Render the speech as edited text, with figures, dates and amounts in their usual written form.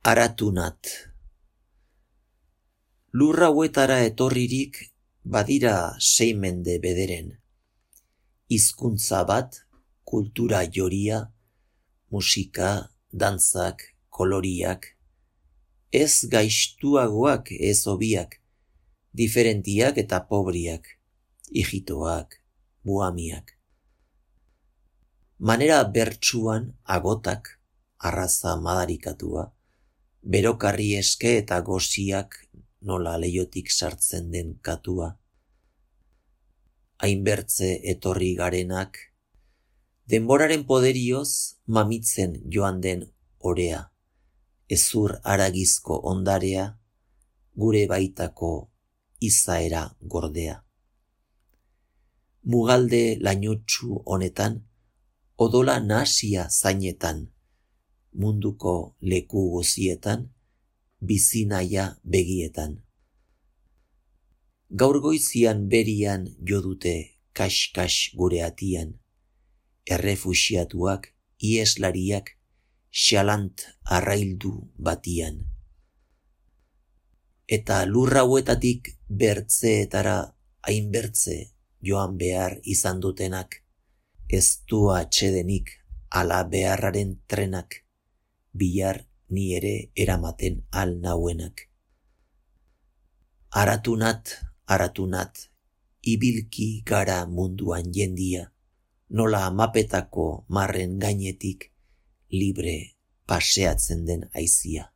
Aratunat. Lur hauetara etorririk badira 6 mende bederen. Hizkuntza bat, kultura joria, musika, dantzak, koloriak. Ez gaiztuagoak, ez hobiak, diferentiak eta pobriak, ijitoak, buhamiak. Manera bertsuan agotak, arraza madarikatua, berokarri eske eta goziak nola leiotik sartzen den katua. Hainbertze etorri garenak, denboraren poderioz mamitzen joan den orea, ezur haragizko ondarea, gure baitako izaera gordea. Mugalde lainotsu honetan, odola nahasia zainetan, munduko leku guzietan, bizinaia begietan. Gaur goizian berian jo dute kas-kas gure atian, errefuxiatuak, ieslariak, xalant arraildu batian. Eta lur hauetatik bertzeetara hainbertze joan behar izan dutenak, ez du atsedenik ala beharraren trenak, bihar ni ere eramaten al nauenak. Aratunat, aratunat, ibilki gara munduan jendia, nola mapetako marren gainetik libre paseatzen den aizia.